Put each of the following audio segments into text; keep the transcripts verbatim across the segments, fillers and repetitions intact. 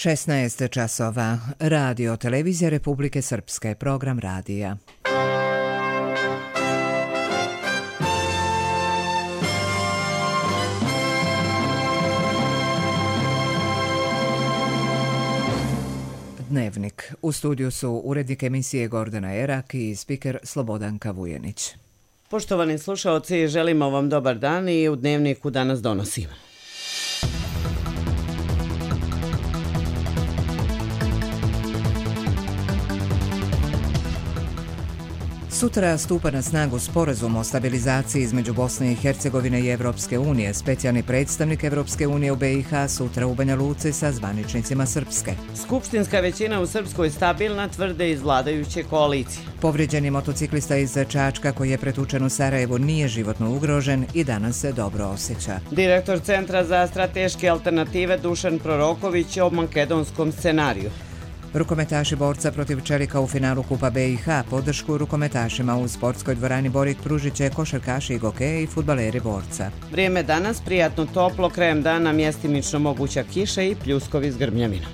šesnaest časova. Radio Televizija Republike Srpske. Program radija. Dnevnik. U studiju su urednik emisije Gordana Erak i spiker Slobodanka Vujenić. Poštovani slušaoci, želimo vam dobar dan i u Dnevniku danas donosimo. Sutra stupa na snagu sporazum o stabilizaciji između Bosne i Hercegovine i Evropske unije. Specijalni predstavnik Evropske unije u B i H sutra u Banja Luci sa zvaničnicima Srpske. Skupštinska većina u Srpskoj stabilna, tvrde iz vladajuće koalicije. Povrijeđeni motociklista iz Čačka koji je pretučen u Sarajevu nije životno ugrožen i danas se dobro osjeća. Direktor Centra za strateške alternative Dušan Proroković o makedonskom scenariju. Rukometaši Borca protiv Čelika u finalu Kupa B i H. Podršku rukometašima u sportskoj dvorani Borik pružit će košarkaši Gokeja i fudbaleri Borca. Vrijeme danas prijatno toplo, krajem dana mjestimično moguća kiša i pljuskovi s grmljavinom.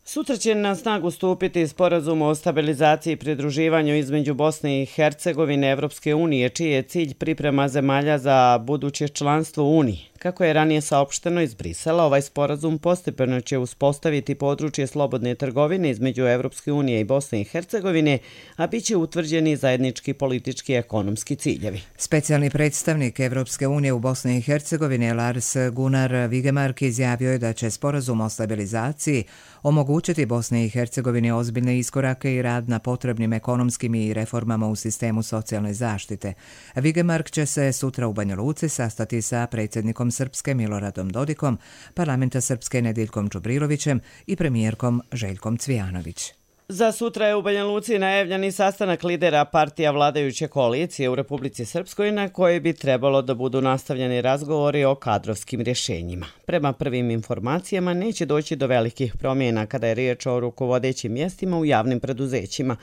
Sutra će na snagu stupiti sporazum o stabilizaciji i pridruživanju između Bosne i Hercegovine i Evropske unije, čiji je cilj priprema zemalja za buduće članstvo u Uniji. Kako je ranije saopšteno iz Brisela, ovaj sporazum postepeno će uspostaviti područje slobodne trgovine između Evropske unije i Bosne i Hercegovine, a bit će utvrđeni zajednički politički i ekonomski ciljevi. Specijalni predstavnik Evropske unije u Bosni i Hercegovini Lars Gunnar Vigemark izjavio je da će sporazum o stabilizaciji omogućiti Bosni i Hercegovini ozbiljne iskorake i rad na potrebnim ekonomskim i reformama u sistemu socijalne zaštite. Vigemark će se sutra u Banja Luci sastati sa predsjednikom Srpske Miloradom Dodikom, parlamenta Srpske Nediljkom Čubrilovićem i premijerkom Željkom Cvijanović. Za sutra je u Banja Luci najavljeni sastanak lidera partija vladajuće koalicije u Republici Srpskoj na kojoj bi trebalo da budu nastavljeni razgovori o kadrovskim rješenjima. Prema prvim informacijama neće doći do velikih promjena kada je riječ o rukovodećim mjestima u javnim preduzećima.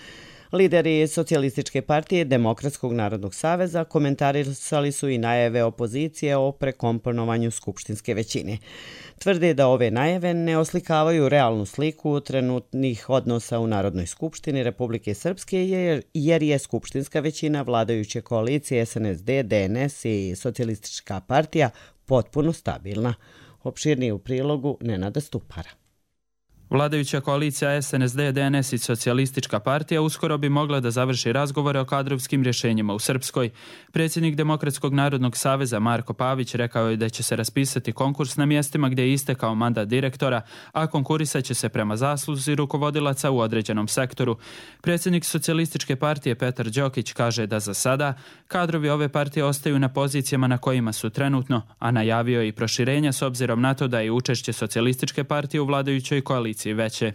Lideri Socijalističke partije Demokratskog narodnog saveza komentarisali su i najave opozicije o prekomponovanju skupštinske većine. Tvrde da ove najave ne oslikavaju realnu sliku trenutnih odnosa u Narodnoj skupštini Republike Srpske jer je skupštinska većina vladajuće koalicije S N S D, D N S i Socijalistička partija potpuno stabilna. Opširnije u prilogu Nenada Stupara. Vladajuća koalicija S N S D, D N S i Socijalistička partija uskoro bi mogla da završi razgovore o kadrovskim rješenjima u Srpskoj. Predsjednik Demokratskog narodnog saveza Marko Pavić rekao je da će se raspisati konkurs na mjestima gdje je istekao mandat direktora, a konkurisat će se prema zasluzi rukovodilaca u određenom sektoru. Predsjednik Socijalističke partije Petar Đokić kaže da za sada kadrovi ove partije ostaju na pozicijama na kojima su trenutno, a najavio je i proširenja s obzirom na to da je učešće Socijalističke partije u vladajućoj koaliciji veće.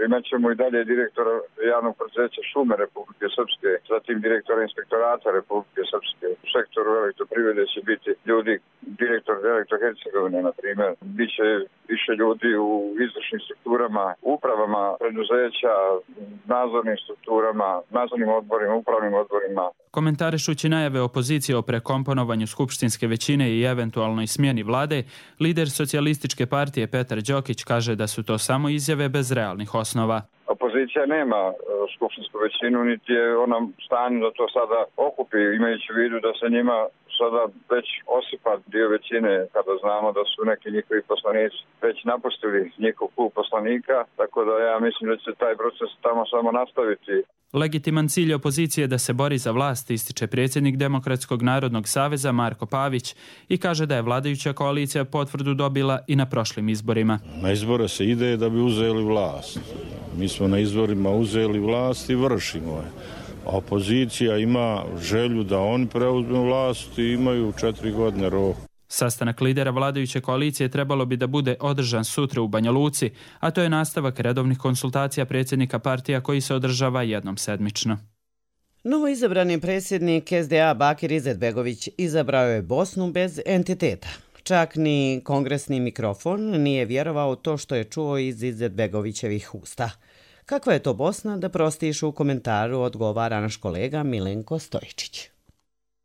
Imaćemo i dalje direktora javnog preduzeća Šume Republike Srpske, zatim direktora inspektorata Republike Srpske. U sektoru elektroprivrede će biti ljudi, direktor Elektro-Hercegovine, na primjer. Biće više ljudi u izvršnim strukturama, upravama preduzeća, nadzornim strukturama, nadzornim odborima, upravnim odborima. Komentarišući najave opozicije o prekomponovanju skupštinske većine i eventualnoj smjeni vlade, lider Socijalističke partije Petar Đokić kaže da su to samo izjave bez realnih osnova. Opozicija nema skupštinsku većinu, niti je ona stanju da to sada okupi, imajući u vidu da se njima sada već osipa dio većine, kada znamo da su neki njihovi poslanici već napustili njihov klub poslanika, tako da ja mislim da će taj proces tamo samo nastaviti. Legitiman cilj opozicije da se bori za vlast, ističe predsjednik Demokratskog narodnog saveza Marko Pavić i kaže da je vladajuća koalicija potvrdu dobila i na prošlim izborima. Na izbore se ide da bi uzeli vlast. Mi smo na izborima uzeli vlast i vršimo je. Opozicija ima želju da oni preuzmu vlast i imaju četiri godine rok. Sastanak lidera vladajuće koalicije trebalo bi da bude održan sutra u Banja Luci, a to je nastavak redovnih konsultacija predsjednika partija koji se održava jednom sedmično. Novo izabrani predsjednik S D A Bakir Izetbegović izabrao je Bosnu bez entiteta. Čak ni kongresni mikrofon nije vjerovao to što je čuo iz Izetbegovićevih usta. Kakva je to Bosna, da prostiš u komentaru odgovara naš kolega Milenko Stojičić.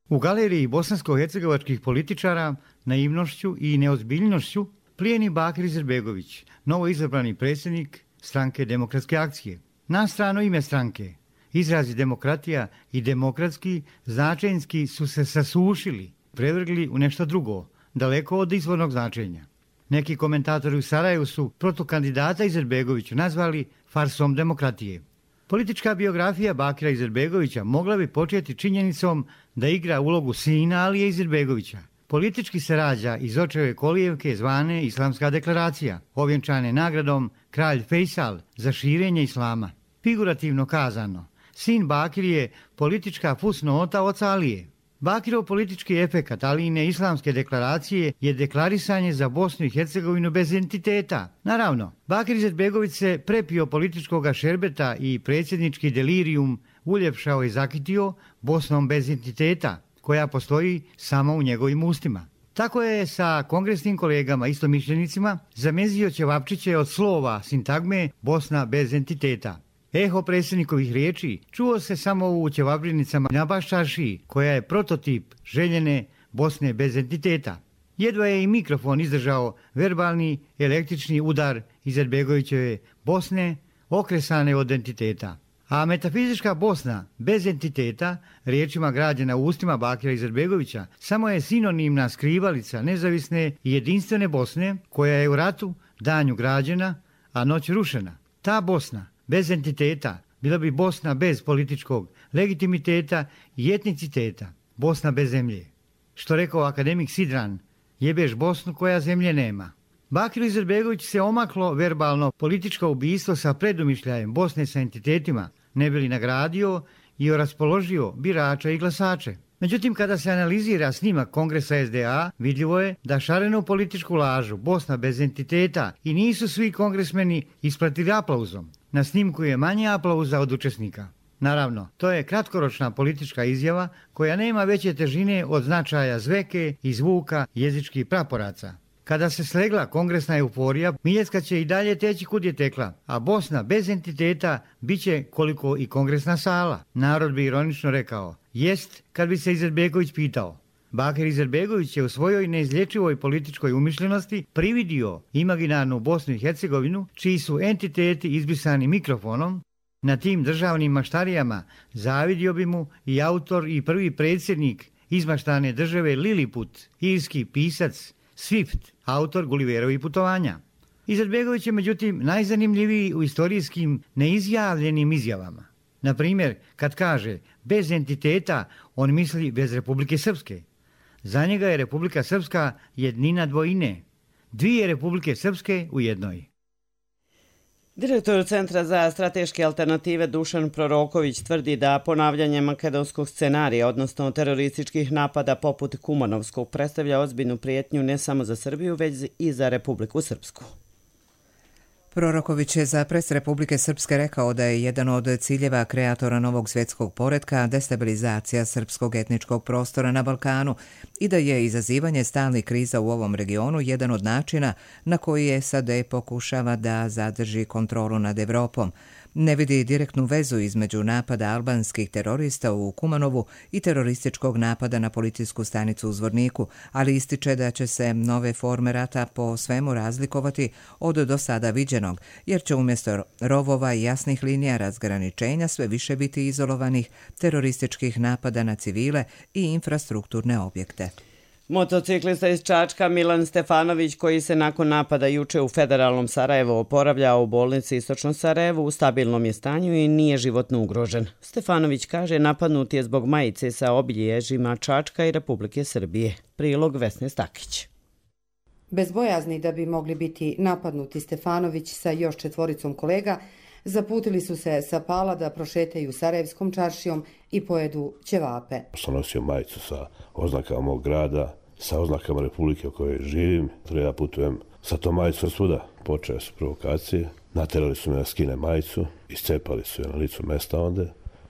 U galeriji bosansko-hercegovačkih političara naivnošću i neozbiljnošću plijeni Bakir Izetbegović, novo izabrani predsjednik stranke Demokratske akcije. Na strano ime stranke, izrazi demokratija i demokratski značenjski su se sasušili, prevrgli u nešto drugo, daleko od izvornog značenja. Neki komentatori u Sarajevu su protukandidata Izetbegovića nazvali farsom demokratije. Politička biografija Bakira Izetbegovića mogla bi početi činjenicom da igra ulogu sina Alije Izetbegovića. Politički se rađa iz očeve kolijevke zvane Islamska deklaracija, ovjenčane nagradom Kralj Fejsal za širenje islama. Figurativno kazano, sin Bakir je politička fusnota oca Alije. Bakirov politički efekat Alijine Islamske deklaracije je deklarisanje za Bosnu i Hercegovinu bez entiteta. Naravno, Bakir Izetbegović se prepio političkog šerbeta i predsjednički delirijum uljepšao i zakitio Bosnom bez entiteta, koja postoji samo u njegovim ustima. Tako je sa kongresnim kolegama istomišljenicima zamezio ćevapčiće od slova sintagme Bosna bez entiteta. Eho predsjednikovih riječi čuo se samo u ćevabrenicama na Baščaršiji, koja je prototip željene Bosne bez entiteta. Jedva je i mikrofon izdržao verbalni električni udar Izetbegovićeve Bosne okresane od entiteta. A metafizička Bosna bez entiteta, riječima građena u ustima Bakira Izetbegovića, samo je sinonimna skrivalica nezavisne i jedinstvene Bosne, koja je u ratu danju građena, a noć rušena. Ta Bosna bez entiteta bila bi Bosna bez političkog legitimiteta i etniciteta, Bosna bez zemlje. Što rekao akademik Sidran, jebeš Bosnu koja zemlje nema. Bakiru Izetbegović se omaklo verbalno političko ubistvo sa predumišljajem Bosne sa entitetima, ne bi li nagradio i raspoložio birača i glasače. Međutim, kada se analizira snimak Kongresa S D A, vidljivo je da šarenu političku lažu Bosna bez entiteta i nisu svi kongresmeni ispratili aplauzom. Na snimku je manje aplauza od učesnika. Naravno, to je kratkoročna politička izjava koja nema veće težine od značaja zveke i zvuka jezičkih praporaca. Kada se slegla kongresna euforija, Miljecka će i dalje teći kud je tekla, a Bosna bez entiteta bit će koliko i kongresna sala. Narod bi ironično rekao, jest kad bi se Izetbegović pitao. Bakir Izetbegović je u svojoj neizlječivoj političkoj umišljenosti prividio imaginarnu Bosnu i Hercegovinu, čiji su entiteti izbrisani mikrofonom. Na tim državnim maštarijama zavidio bi mu i autor i prvi predsjednik izmaštane države Liliput, irski pisac Swift, autor Gulliverovih putovanja. Izetbegović je međutim najzanimljiviji u istorijskim neizjavljenim izjavama. Na primjer, kad kaže bez entiteta, on misli bez Republike Srpske. Za njega je Republika Srpska jednina dvojine, dvije Republike Srpske u jednoj. Direktor Centra za strateške alternative Dušan Proroković tvrdi da ponavljanje makedonskog scenarija, odnosno terorističkih napada poput Kumanovskog, predstavlja ozbiljnu prijetnju ne samo za Srbiju, već i za Republiku Srpsku. Proroković je za pres Republike Srpske rekao da je jedan od ciljeva kreatora novog svjetskog poretka destabilizacija srpskog etničkog prostora na Balkanu i da je izazivanje stalnih kriza u ovom regionu jedan od načina na koji S A D pokušava da zadrži kontrolu nad Evropom. Ne vidi direktnu vezu između napada albanskih terorista u Kumanovu i terorističkog napada na policijsku stanicu u Zvorniku, ali ističe da će se nove forme rata po svemu razlikovati od do sada viđenog, jer će umjesto rovova i jasnih linija razgraničenja sve više biti izolovanih terorističkih napada na civile i infrastrukturne objekte. Motociklista iz Čačka Milan Stefanović, koji se nakon napada juče u federalnom Sarajevu oporavlja u bolnici Istočno Sarajevo, u stabilnom je stanju i nije životno ugrožen. Stefanović kaže napadnut je zbog majice sa obilježjima Čačka i Republike Srbije. Prilog Vesne Stakić. Bez bojazni da bi mogli biti napadnuti, Stefanović sa još četvoricom kolega zaputili su se sa Pala da prošetaju Sarajevskom čaršijom i pojedu ćevape. Sam nosio majicu sa oznakama mog grada, sa oznakama Republike u kojoj živim. Ja putujem sa tom majicom svuda. Počeo su provokacije, naterali su me da skine majicu, iscepali su je na licu mesta onda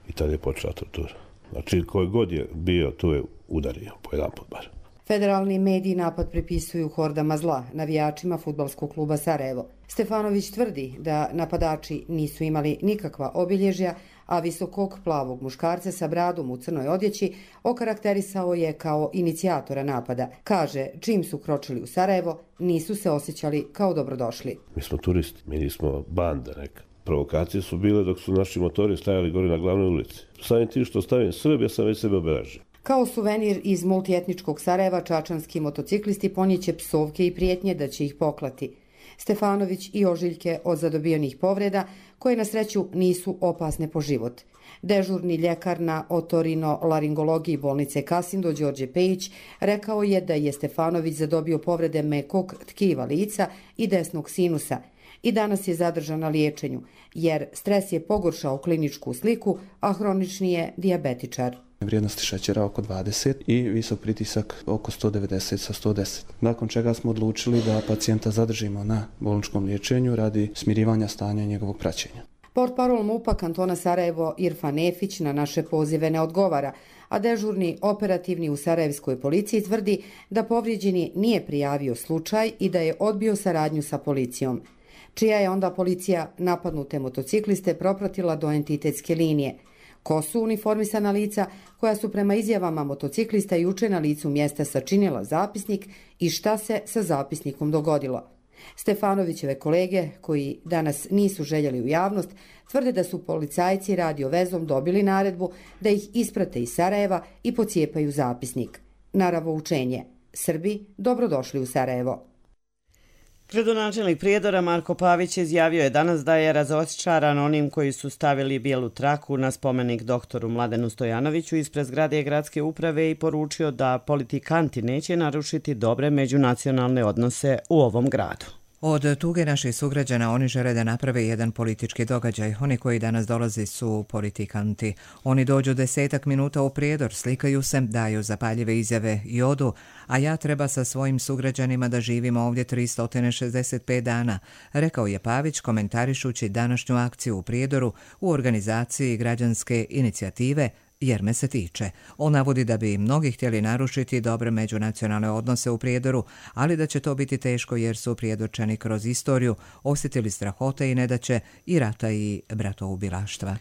i tada je počela tortura. Znači, koji god je bio, tu je udario, po jedan put bar. Federalni mediji napad pripisuju hordama zla, navijačima fudbalskog kluba Sarajevo. Stefanović tvrdi da napadači nisu imali nikakva obilježja, a visokog plavog muškarca sa bradom u crnoj odjeći okarakterisao je kao inicijatora napada. Kaže, čim su kročili u Sarajevo, nisu se osjećali kao dobrodošli. Mi smo turisti, mi nismo banda neka. Provokacije su bile dok su naši motori stajali gore na glavnoj ulici. Samim tim što stavim Srb, ja sam već sebe obeležio. Kao suvenir iz multietničkog Sarajeva, čačanski motociklisti ponjeće psovke i prijetnje da će ih poklati. Stefanović i ožiljke od zadobijenih povreda, koje na sreću nisu opasne po život. Dežurni ljekar na otorino-laringologiji bolnice Kasindo, Đorđe Pejić, rekao je da je Stefanović zadobio povrede mekog tkiva lica i desnog sinusa i danas je zadržan na liječenju, jer stres je pogoršao kliničku sliku, a hronični je dijabetičar. Vrijednosti šećera oko dvadeset i visok pritisak oko sto devedeset sa sto deset. Nakon čega smo odlučili da pacijenta zadržimo na bolničkom liječenju radi smirivanja stanja i njegovog praćenja. Portparol MUP-a kantona Sarajevo Irfan Efić na naše pozive ne odgovara, a dežurni operativni u sarajevskoj policiji tvrdi da povrijeđeni nije prijavio slučaj i da je odbio saradnju sa policijom. Čija je onda policija napadnute motocikliste propratila do entitetske linije. Ko su uniformisana lica koja su prema izjavama motociklista juče na licu mjesta sačinila zapisnik i šta se sa zapisnikom dogodilo? Stefanovićeve kolege, koji danas nisu željeli u javnost, tvrde da su policajci radio vezom dobili naredbu da ih isprate iz Sarajeva i pocijepaju zapisnik. Naravoučenje. Srbi, dobrodošli u Sarajevo. Gradonačelnik Prijedora Marko Pavić izjavio je danas da je razočaran onim koji su stavili bijelu traku na spomenik doktoru Mladenu Stojanoviću ispred zgrade gradske uprave i poručio da politikanti neće narušiti dobre međunacionalne odnose u ovom gradu. Od tuge naših sugrađana oni žele da naprave jedan politički događaj. Oni koji danas dolaze su politikanti. Oni dođu desetak minuta u Prijedor, slikaju se, daju zapaljive izjave i odu, a ja treba sa svojim sugrađanima da živimo ovdje tristo šezdeset pet dana, rekao je Pavić komentarišući današnju akciju u Prijedoru u organizaciji građanske inicijative Jer me se tiče. On navodi da bi mnogi htjeli narušiti dobre međunacionalne odnose u Prijedoru, ali da će to biti teško jer su Prijedorčani kroz istoriju osjetili strahote i nedaće i rata i bratoubilaštva.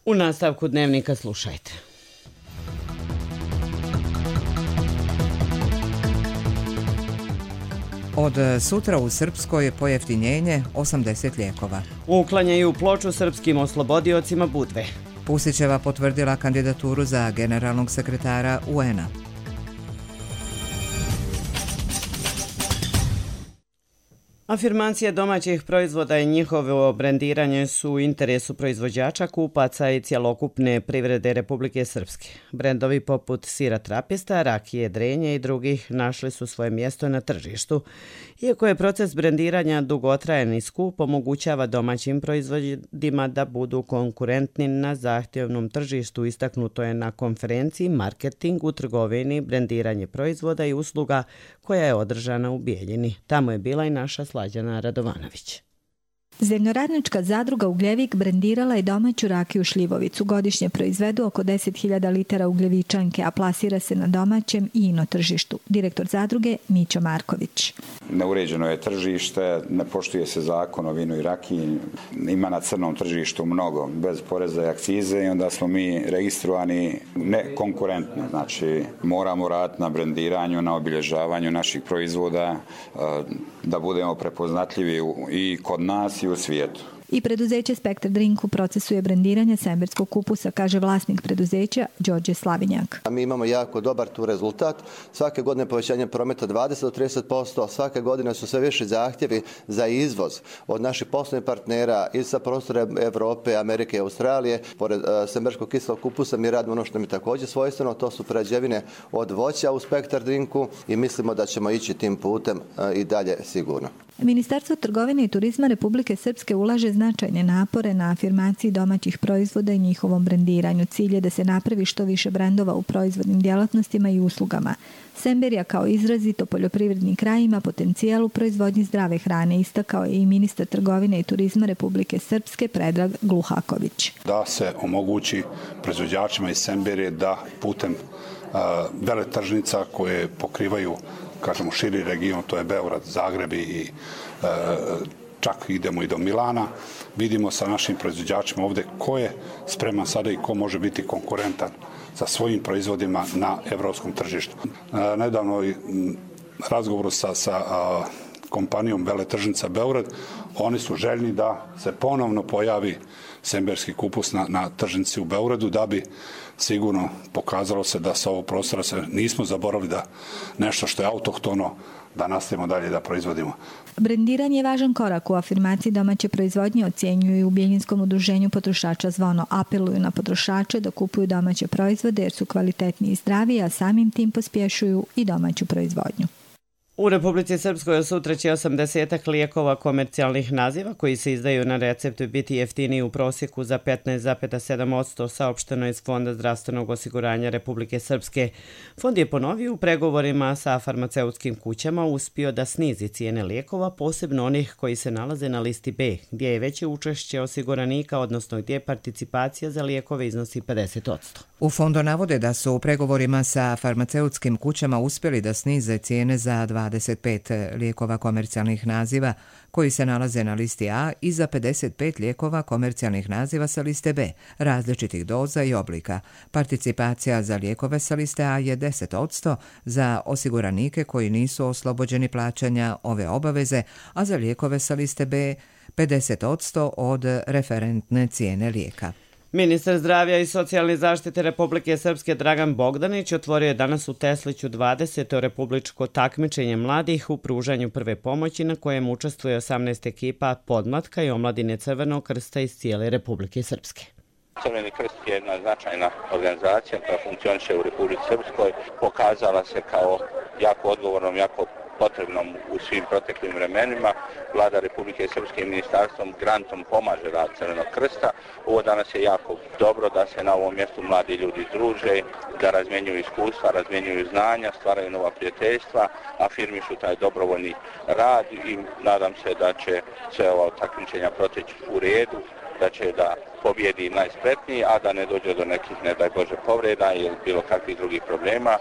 U nastavku dnevnika slušajte. Od sutra u Srpskoj pojeftinjenje osamdeset lijekova. Uklanjaju ploču srpskim oslobodiocima Budve. Pusićeva potvrdila kandidaturu za generalnog sekretara U N-a. Afirmacije domaćih proizvoda i njihovo brendiranje su u interesu proizvođača, kupaca i cjelokupne privrede Republike Srpske. Brendovi poput sira Trapista, rakije Drenje i drugih našli su svoje mjesto na tržištu. Iako je proces brendiranja dugotrajan i skup, omogućava domaćim proizvodima da budu konkurentni na zahtjevnom tržištu, istaknuto je na konferenciji Marketing u trgovini, brendiranje proizvoda i usluga koja je održana u Bijeljini. Tamo je bila i naša Slađana Radovanović. Zemljoradnička zadruga Ugljevik brendirala je domaću rakiju Šljivovicu. Godišnje proizvedu oko deset hiljada litara ugljevičanke, a plasira se na domaćem i ino tržištu. Direktor zadruge Mićo Marković. Neuređeno je tržište, ne poštuje se zakon o vinu i rakiji, ima na crnom tržištu mnogo, bez poreza i akcize i onda smo mi registrovani nekonkurentni. Znači, moramo raditi na brendiranju, na obilježavanju naših proizvoda, da budemo prepoznatljivi i kod nas i u svijetu. I preduzeće Spektar Drink u procesu je brendiranja semberskog kupusa, kaže vlasnik preduzeća Đorđe Slavinjak. Mi imamo jako dobar tu rezultat. Svake godine povećanje prometa dvadeset do trideset posto, svake godine su sve više zahtjevi za izvoz od naših poslovnih partnera i sa prostora Evrope, Amerike i Australije. Pored uh, semberskog kiselog kupusa mi radimo ono što mi također svojstveno, to su prerađevine od voća u Spektar Drinku i mislimo da ćemo ići tim putem uh, i dalje sigurno. Ministarstvo trgovine i turizma Republike Srpske ulaže značajne napore na afirmaciji domaćih proizvoda i njihovom brendiranju. Cilj je da se napravi što više brendova u proizvodnim djelatnostima i uslugama. Semberija kao izrazito poljoprivredni kraj ima potencijal u proizvodnji zdrave hrane, istakao je i ministar trgovine i turizma Republike Srpske Predrag Gluhaković. Da se omogući proizvođačima iz Semberije da putem uh, veletržnica koje pokrivaju kažemo širi region, to je Beograd, Zagreb i e, čak idemo i do Milana, vidimo sa našim proizvođačima ovdje ko je spreman sada i ko može biti konkurentan sa svojim proizvodima na evropskom tržištu. Nedavno i razgovoru sa, sa a, kompanijom Veletržnica Beograd, oni su željni da se ponovno pojavi semberski kupus na, na tržnici u Beogradu, da bi sigurno pokazalo se da sa ovog prostora se nismo zaboravili da nešto što je autohtono da nastavimo dalje da proizvodimo. Brendiranje je važan korak u afirmaciji domaće proizvodnje, ocjenjuju i u Biljinskom udruženju potrošača Zvono. Apeluju na potrošače da kupuju domaće proizvode jer su kvalitetni i zdravi, a samim tim pospješuju i domaću proizvodnju. U Republici Srpskoj sutra će osamdesetak lijekova komercijalnih naziva koji se izdaju na receptu biti jeftiniji u prosjeku za petnaest zarez sedam posto, saopšteno iz Fonda zdravstvenog osiguranja Republike Srpske. Fond je ponovio u pregovorima sa farmaceutskim kućama uspio da snizi cijene lijekova, posebno onih koji se nalaze na listi B, gdje je veće učešće osiguranika, odnosno gdje participacija za lijekove iznosi pedeset posto. U fondu navode da su u pregovorima sa farmaceutskim kućama uspjeli da snize cijene za dvadeset pet lijekova komercijalnih naziva koji se nalaze na listi A i za pedeset pet lijekova komercijalnih naziva sa liste B, različitih doza i oblika. Participacija za lijekove sa liste A je deset posto za osiguranike koji nisu oslobođeni plaćanja ove obaveze, a za lijekove sa liste B pedeset posto od referentne cijene lijeka. Ministar zdravlja i socijalne zaštite Republike Srpske Dragan Bogdanić otvorio je danas u Tesliću dvadeseto republičko takmičenje mladih u pružanju prve pomoći na kojem učestvuje osamnaest ekipa podmlatka i omladine Crvenog krsta iz cijele Republike Srpske. Crveni krst je jedna značajna organizacija koja funkcioniše u Republici Srpskoj, pokazala se kao jako odgovornom, jako potrebnom u svim proteklim vremenima. Vlada Republike Srpske i ministarstvom grantom pomaže rad Crvenog krsta. Ovo danas je jako dobro da se na ovom mjestu mladi ljudi druže, da razmjenjuju iskustva, razmjenjuju znanja, stvaraju nova prijateljstva, afirmišu taj dobrovoljni rad i nadam se da će sve ova takmičenja proteći u redu, da će da pobjedi najspretniji, a da ne dođe do nekih, ne daj Bože, povreda ili bilo kakvih drugih problema.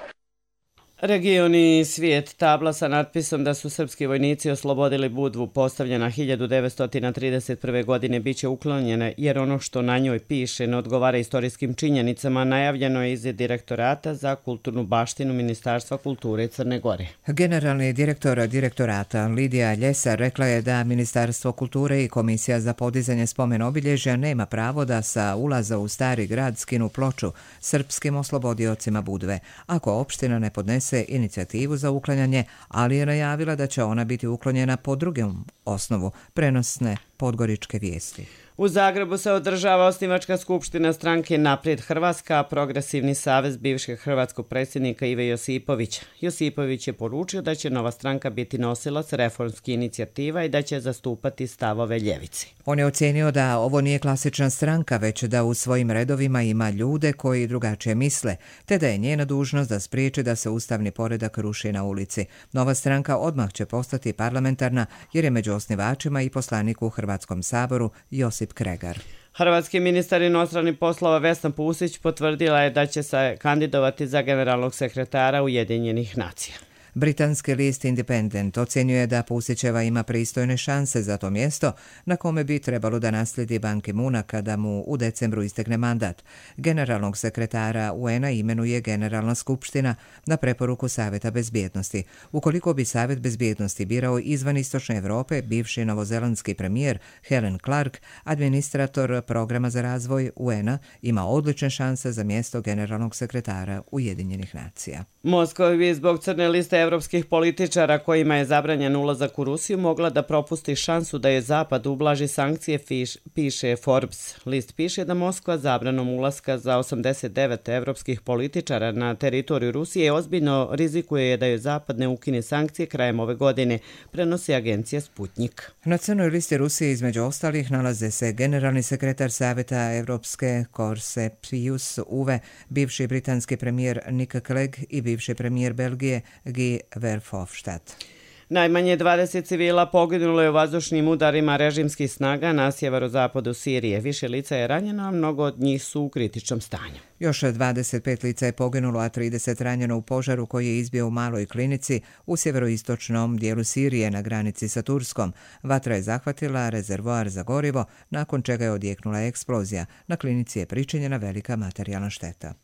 Region i svijet, tabla sa natpisom da su srpski vojnici oslobodili Budvu postavljena hiljadu devetsto trideset prve. godine biće uklonjena jer ono što na njoj piše ne odgovara istorijskim činjenicama, najavljeno je iz Direktorata za kulturnu baštinu Ministarstva kulture Crne Gore. Generalni direktor direktorata Lidija Ljesar rekla je da Ministarstvo kulture i Komisija za podizanje spomen obilježja nema pravo da sa ulaza u Stari grad skinu ploču srpskim oslobodiocima Budve, ako opština ne podnese inicijativu za uklanjanje, ali je najavila da će ona biti uklonjena po drugom osnovu, prenosne podgoričke vijesti. U Zagrebu se održava osnivačka skupština stranke Naprijed Hrvatska, Progresivni savez bivšeg hrvatskog predsjednika Ive Josipovića. Josipović je poručio da će nova stranka biti nosilac reformskih inicijativa i da će zastupati stavove ljevice. On je ocjenio da ovo nije klasična stranka, već da u svojim redovima ima ljude koji drugačije misle, te da je njena dužnost da spriječi da se ustavni poredak ruši na ulici. Nova stranka odmah će postati parlamentarna jer je među osnivačima i poslanik u Hrvatskom saboru Josip Kregar. Hrvatski ministar inostranih poslova Vesna Pusić potvrdila je da će se kandidovati za generalnog sekretara Ujedinjenih nacija. Britanski list Independent ocjenjuje da Pusićeva ima pristojne šanse za to mjesto na kome bi trebalo da naslijedi Ban Ki-moona kada mu u decembru istekne mandat. Generalnog sekretara U N-a imenuje Generalna skupština na preporuku Savjeta bezbjednosti. Ukoliko bi Savjet bezbjednosti birao izvan Istočne Evrope, bivši novozelandski premijer Helen Clark, administrator programa za razvoj U N-a, ima odlične šanse za mjesto generalnog sekretara Ujedinjenih nacija. Moskva bi zbog crne liste evropskih političara kojima je zabranjen ulazak u Rusiju mogla da propusti šansu da je Zapad ublaži sankcije, fiš, piše Forbes. List piše da Moskva zabranom ulaska za osamdeset devet evropskih političara na teritoriju Rusije ozbiljno rizikuje da je Zapad ne ukine sankcije krajem ove godine, prenosi agencija Sputnik. Na crnoj listi Rusije između ostalih nalaze se generalni sekretar Savjeta Evropske Korse Pius Uwe, bivši britanski premijer Nick Clegg i bivši premijer Belgije Guy Verhofstadt. Najmanje dvadeset civila poginulo je u vazdušnim udarima režimskih snaga na sjeverozapadu Sirije. Više lica je ranjeno, a mnogo od njih su u kritičnom stanju. Još dvadeset pet lica je poginulo, a trideset ranjeno u požaru koji je izbio u maloj klinici u sjeveroistočnom dijelu Sirije na granici sa Turskom. Vatra je zahvatila rezervoar za gorivo, nakon čega je odjeknula eksplozija. Na klinici je pričinjena velika materijalna šteta.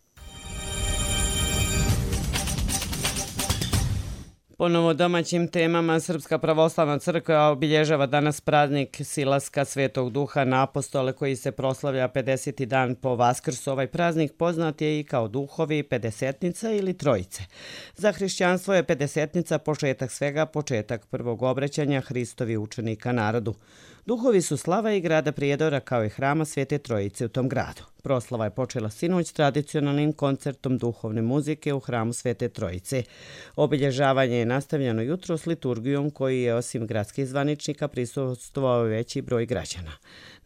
Ponovo domaćim temama, Srpska pravoslavna crkva obilježava danas praznik silaska Svetog Duha na apostole koji se proslavlja pedeseti dan po Vaskrsu. Ovaj praznik poznat je i kao duhovi pedesetnica ili trojice. Za hrišćanstvo je pedesetnica početak svega, početak prvog obraćanja Hristovi učenika narodu. Duhovi su slava i grada Prijedora kao i hrama Svete Trojice u tom gradu. Proslava je počela sinoć tradicionalnim koncertom duhovne muzike u hramu Svete Trojice. Obilježavanje je nastavljeno jutro s liturgijom koji je osim gradskih zvaničnika prisustvovao veći broj građana.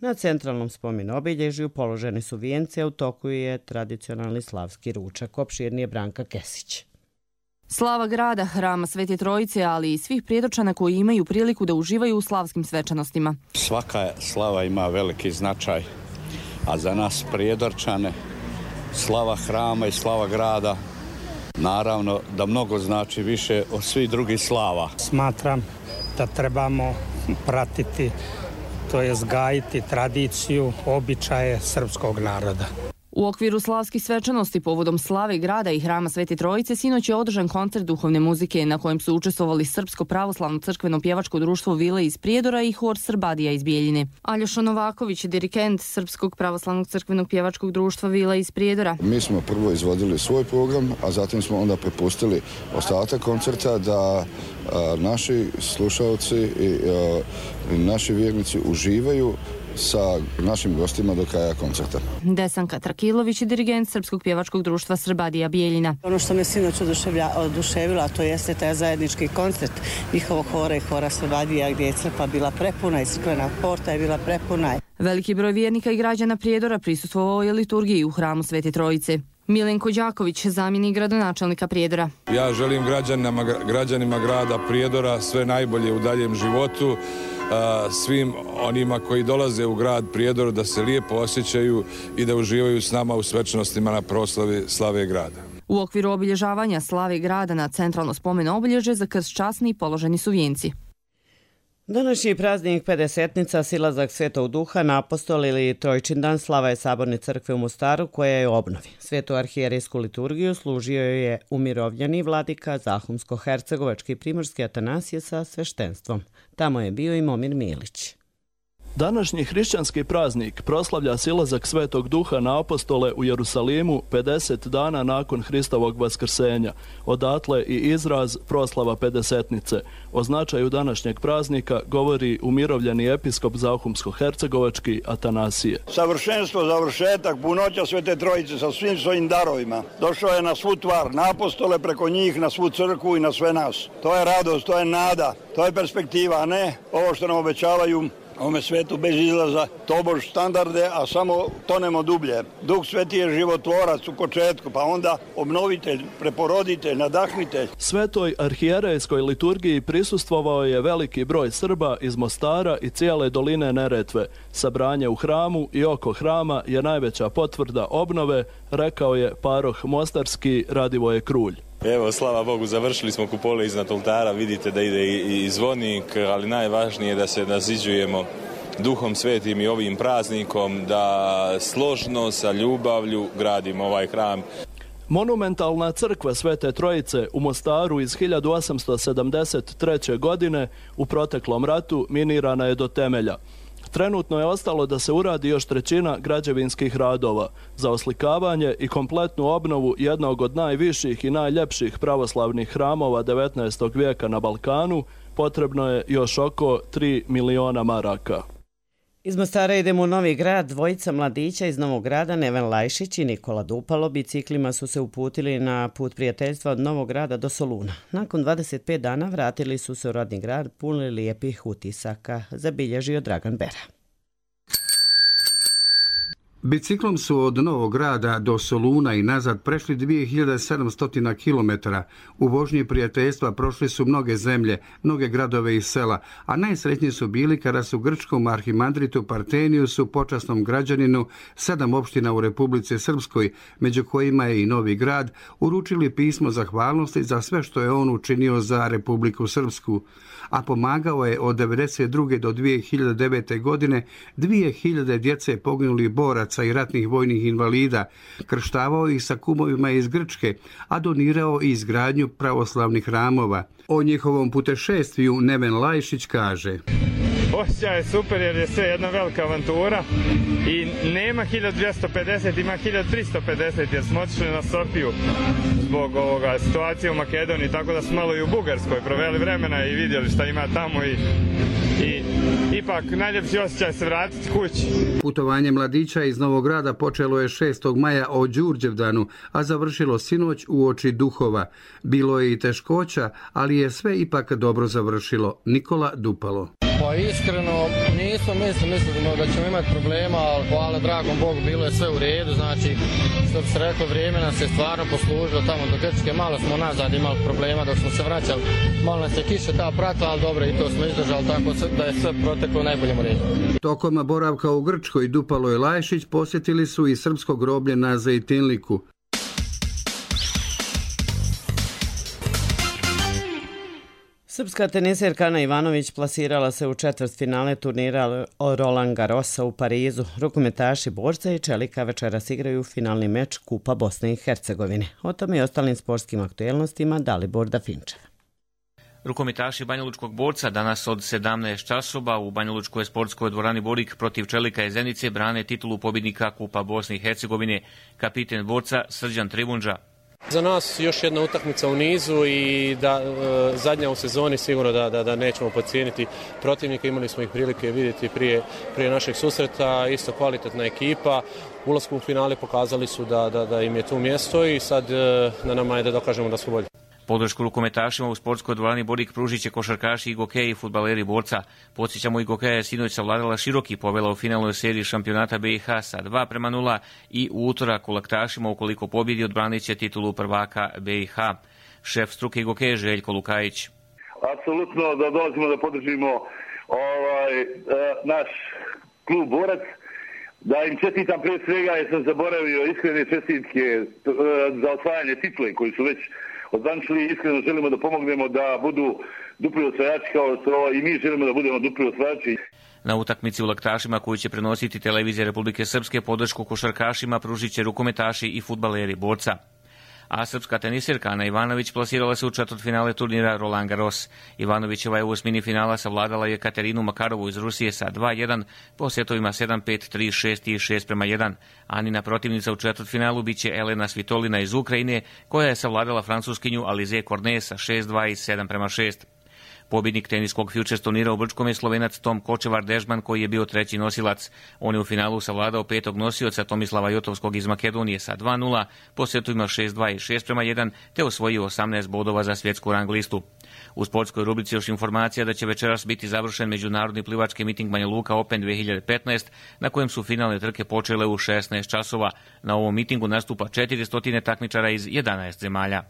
Na centralnom spomen obilježju položene su vijence, a u toku je tradicionalni slavski ručak. Opširnije Branka Kesić. Slava grada, hrama Svete Trojice, ali i svih Prijedočana koji imaju priliku da uživaju u slavskim svečanostima. Svaka slava ima veliki značaj, a za nas Prijedorčane slava hrama i slava grada naravno da mnogo znači više od svih drugih slava. Smatram da trebamo pratiti, to je zgajiti tradiciju, običaje srpskog naroda. U okviru slavskih svečanosti povodom slave grada i hrama Svete Trojice sinoć je održan koncert duhovne muzike na kojem su učestvovali Srpsko pravoslavno crkveno pjevačko društvo Vile iz Prijedora i hor Srbadija iz Bijeljine. Aljoša Novaković, dirigent Srpskog pravoslavnog crkvenog pjevačkog društva Vile iz Prijedora. Mi smo prvo izvodili svoj program, a zatim smo onda prepustili ostatak koncerta da a, naši slušalci i a, naši vjernici uživaju sa našim gostima do kraja koncerta. Desanka Trakilović je dirigent Srpskog pjevačkog društva Srbadija Bijeljina. Ono što me sinoć oduševilo, to jeste taj zajednički koncert njihovog hora i hora Srbadija, gdje je crkva bila prepuna i crkvena porta je bila prepuna. Veliki broj vjernika i građana Prijedora prisustvovao je liturgiji u hramu Svete Trojice. Milenko Đaković, zamjenik gradonačelnika Prijedora. Ja želim građanima, građanima grada Prijedora sve najbolje u daljem životu, svim onima koji dolaze u grad Prijedor da se lijepo osjećaju i da uživaju s nama u svečanostima na proslavi slave grada. U okviru obilježavanja slave grada na centralno spomen obilježe za krst časni položeni su vijenci. Današnji praznik pedesetnica, silazak Svetog Duha na apostol ili Trojčindan, slava je Saborne crkve u Mostaru koja je u obnovi. Svetu arhijerejsku liturgiju služio je umirovljeni vladika Zahumsko-hercegovački primorski Atanasije sa sveštenstvom. Tamo je bio i Momir Milić. Današnji hrišćanski praznik proslavlja silazak Svetog Duha na apostole u Jerusalimu pedeset dana nakon Hristovog vaskrsenja. Odatle i izraz proslava pedesetnice. O značaju današnjeg praznika govori umirovljeni episkop Zahumsko-hercegovački Atanasije. Savršenstvo, završetak, punoća Svete Trojice sa svim svojim darovima. Došao je na svu tvar, na apostole, preko njih, na svu crkvu i na sve nas. To je radost, to je nada, to je perspektiva, a ne ovo što nam obećavaju ovome svetu bez izlaza, tobož standarde, a samo tonemo dublje. Duh Sveti je životvorac u početku, pa onda obnovitelj, preporoditelj, nadahnitelj. Svetoj arhijerejskoj liturgiji prisustvovao je veliki broj Srba iz Mostara i cijele doline Neretve. Sabranje u hramu i oko hrama je najveća potvrda obnove, rekao je paroh mostarski Radivoje Krulj. Evo, slava Bogu, završili smo kupole iznad oltara, vidite da ide i, i zvonik, ali najvažnije je da se naziđujemo Duhom Svetim i ovim praznikom, da složno sa ljubavlju gradimo ovaj hram. Monumentalna crkva Svete Trojice u Mostaru iz hiljadu osamsto sedamdeset treće. godine u proteklom ratu minirana je do temelja. Trenutno je ostalo da se uradi još trećina građevinskih radova. Za oslikavanje i kompletnu obnovu jednog od najviših i najljepših pravoslavnih hramova devetnaestog vijeka na Balkanu potrebno je još oko tri miliona maraka. Iz Mostara idemo u Novi Grad. Dvojica mladića iz Novog Grada, Neven Lajšić i Nikola Dupalo, biciklima su se uputili na put prijateljstva od Novog Grada do Soluna. Nakon dvadeset pet dana vratili su se u rodni grad puni lijepih utisaka, zabilježio Dragan Bera. Biciklom su od Novog Grada do Soluna i nazad prešli dvije hiljade sedamsto kilometara. U vožnji prijateljstva prošli su mnoge zemlje, mnoge gradove i sela, a najsretniji su bili kada su grčkom arhimandritu Parteniusu, počasnom građaninu, sedam opština u Republici Srpskoj, među kojima je i Novi Grad, uručili pismo zahvalnosti za sve što je on učinio za Republiku Srpsku, a pomagao je od devedeset druge do dvije hiljade devete. godine dvije hiljade djece poginulih boraca i ratnih vojnih invalida, krštavao ih sa kumovima iz Grčke, a donirao i izgradnju pravoslavnih hramova. O njihovom putešestviju Neven Lajšić kaže: Osjećaj je super jer je sve jedna velika avantura i nema hiljadu dvjesto pedeset, ima hiljadu tristo pedeset jer smo otišli na Sofiju zbog ovoga situacije u Makedoniji, tako da smo malo i u Bugarskoj proveli vremena i vidjeli šta ima tamo i, i ipak najljepši osjećaj se vratiti kući. Putovanje mladića iz Novog Grada počelo je šestog maja o Đurđevdanu, a završilo sinoć u oči duhova. Bilo je i teškoća, ali je sve ipak dobro završilo. Nikola Dupalo. Pa iskreno nismo mislili, mislimo da ćemo imati problema, ali hvala dragom Bogu bilo je sve u redu, znači što bi se reklo vrijeme nas je stvarno poslužilo tamo do Grčke, malo smo nazad imali problema dok smo se vraćali, malo nas je kiše ta pratila, ali dobro i to smo izdržali tako da je sve proteklo u najboljem redu. Tokom boravka u Grčkoj Dupalo i Lajšić posjetili su i srpsko groblje na Zejtinliku. Srpska teniserka Ana Ivanović plasirala se u četvrtfinale turnira Roland Garrosa u Parizu. Rukometaši Borca i Čelika večeras igraju finalni meč Kupa Bosne i Hercegovine. O tome i ostalim sportskim aktuelnostima Dalibor Dafinčev. Rukometaši Banjalučkog Borca danas od sedamnaest časova u Banjalučkoj sportskoj dvorani Borik protiv Čelika iz Zenice brane titulu pobjednika Kupa Bosne i Hercegovine. Kapiten Borca Srđan Tribundža. Za nas još jedna utakmica u nizu i da e, zadnja u sezoni sigurno da, da, da nećemo podcijeniti protivnika. Imali smo ih prilike vidjeti prije, prije našeg susreta, isto kvalitetna ekipa. Ulaskom u finale pokazali su da, da, da im je tu mjesto i sad e, na nama je da dokažemo da smo bolji. Podršku rukometašima u sportskoj dvorani Borik pružit će košarkaši i gokeji i fudbaleri Borca. Podsjećamo i gokeja je sinoć savladala Široki, povela u finalnoj seriji šampionata B i H sa dva prema nula i u utorak u laktašima ukoliko pobjedi odbranit će titulu prvaka B i H. Šef struke i gokeje Željko Lukajić. Apsolutno da dolazimo da podržimo ovaj, naš klub Borac. Da im čestitam prije svega jer sam zaboravio iskrene čestitke za osvajanje titule koji su već odvančili. Iskreno želimo da pomognemo da budu dupli osvajači kao što i mi želimo da budemo dupli osvajači. Na utakmici u laktašima koju će prenositi televizija Republike Srpske podršku košarkašima pružit će rukometaši i fudbaleri Borca. A srpska teniserka Ana Ivanović plasirala se u četvrtfinale turnira Roland Garros. Ivanovićeva je u osmini finala savladala je Katerinu Makarovu iz Rusije sa dva jedan po setovima sedam pet, tri šest i šest prema jedan. Anina protivnica u četvrtfinalu biće Elena Svitolina iz Ukrajine koja je savladala francuskinju Alizé Cornet sa šest dva i sedam prema šest. Pobjednik teniskog Futures turnira u Brčkom je Slovenac Tom Kočevar Dežman koji je bio treći nosilac. On je u finalu savladao petog nosioca Tomislava Jotovskog iz Makedonije sa dva nula po setovima šest dva i šest prema jedan te osvojio osamnaest bodova za svjetsku rang listu. U sportskoj rubrici još informacija da će večeras biti završen međunarodni plivački miting Banja Luka Open dvije hiljade petnaest na kojem su finalne trke počele u šesnaest časova. Na ovom mitingu nastupa četiristo takmičara iz jedanaest zemalja.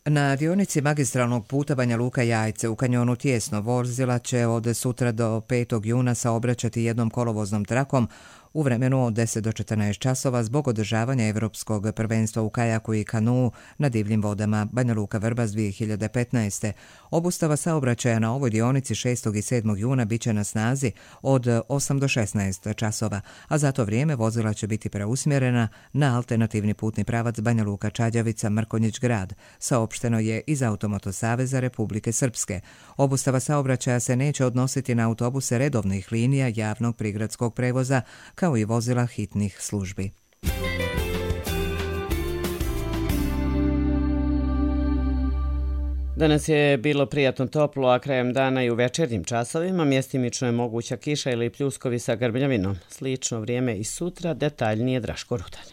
Na dionici magistralnog puta Banja Luka Jajce u kanjonu Tijesno vozila će od sutra do petog juna saobraćati jednom kolovoznom trakom u vremenu od deset do četrnaest časova zbog održavanja Evropskog prvenstva u kajaku i kanuu na divljim vodama Banja Luka Vrbas dvije hiljade petnaeste. Obustava saobraćaja na ovoj dionici šestog i sedmog juna biće na snazi od osam do šesnaest časova, a za to vrijeme vozila će biti preusmjerena na alternativni putni pravac Banja Luka Čađavica Mrkonjić grad, saopšteno je iz Automoto Saveza Republike Srpske. Obustava saobraćaja se neće odnositi na autobuse redovnih linija javnog prigradskog prevoza kao i vozila hitnih službi. Danas je bilo prijatno toplo, a krajem dana i u večernjim časovima mjestimično je moguća kiša ili pljuskovi sa grmljavinom. Slično vrijeme i sutra, detaljnije Draško Rudan.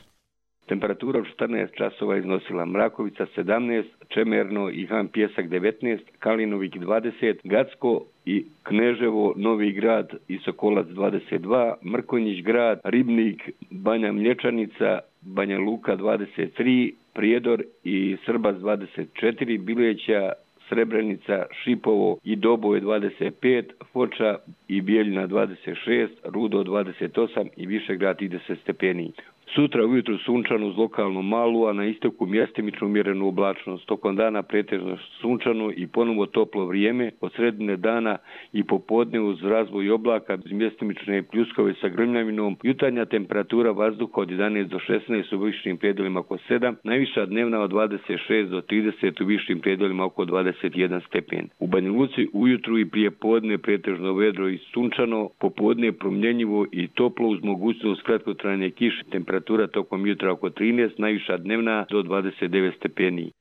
Temperatura u četrnaest časova iznosila Mrakovica sedamnaest, Čemerno i Han Pjesak devetnaest, Kalinovik dvadeset, Gacko i Kneževo, Novi Grad i Sokolac dvadeset dva, Mrkonjić Grad, Ribnik, Banja Mlječanica, Banja Luka dvadeset tri, Prijedor i Srbac dvadeset četiri, Bileća, Srebrenica, Šipovo i Doboj dvadeset pet, Foča i Bijeljina dvadeset šest, Rudo dvadeset osam i Višegrad trideset stepeni. Sutra ujutru sunčano uz lokalnu malu, a na istoku mjestimično umjerenu oblačnost. Tokom dana pretežno sunčano i ponovo toplo vrijeme, od sredine dana i popodne uz razvoj oblaka, mjestimične pljuskove sa grmljavinom. Jutarnja temperatura vazduha od jedanaest do šesnaest u višim predjelima oko sedam, najviša dnevna od dvadeset šest do trideset u višim predjelima oko dvadeset jedan stepen. U Banja Luci ujutru i prije podne pretežno vedro i sunčano, popodne promjenjivo i toplo uz mogućnost kratkotrajne kiše. Temperatura tokom jutra oko trinaest, najviša dnevna do dvadeset devet stepeni.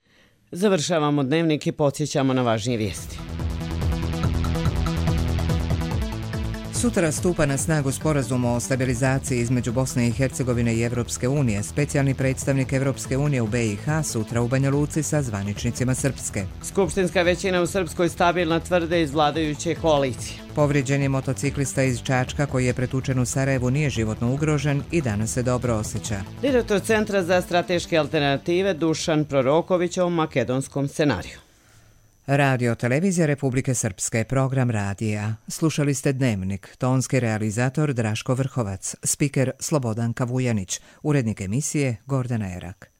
Završavamo dnevnik i podsjećamo na važnije vijesti. Sutra stupa na snagu sporazum o stabilizaciji između Bosne i Hercegovine i Evropske unije. Specijalni predstavnik Evropske unije u B i H sutra u Banja Luci sa zvaničnicima Srpske. Skupštinska većina u Srpskoj stabilna, tvrde iz vladajuće koalicije. Povrijeđen je motociklista iz Čačka koji je pretučen u Sarajevu, nije životno ugrožen i danas se dobro osjeća. Direktor Centra za strateške alternative Dušan Proroković o makedonskom scenariju. Radio Televizija Republike Srpske, program radija. Slušali ste Dnevnik, tonski realizator Draško Vrhovac, spiker Slobodan Kavujanić, urednik emisije Gordana Erak.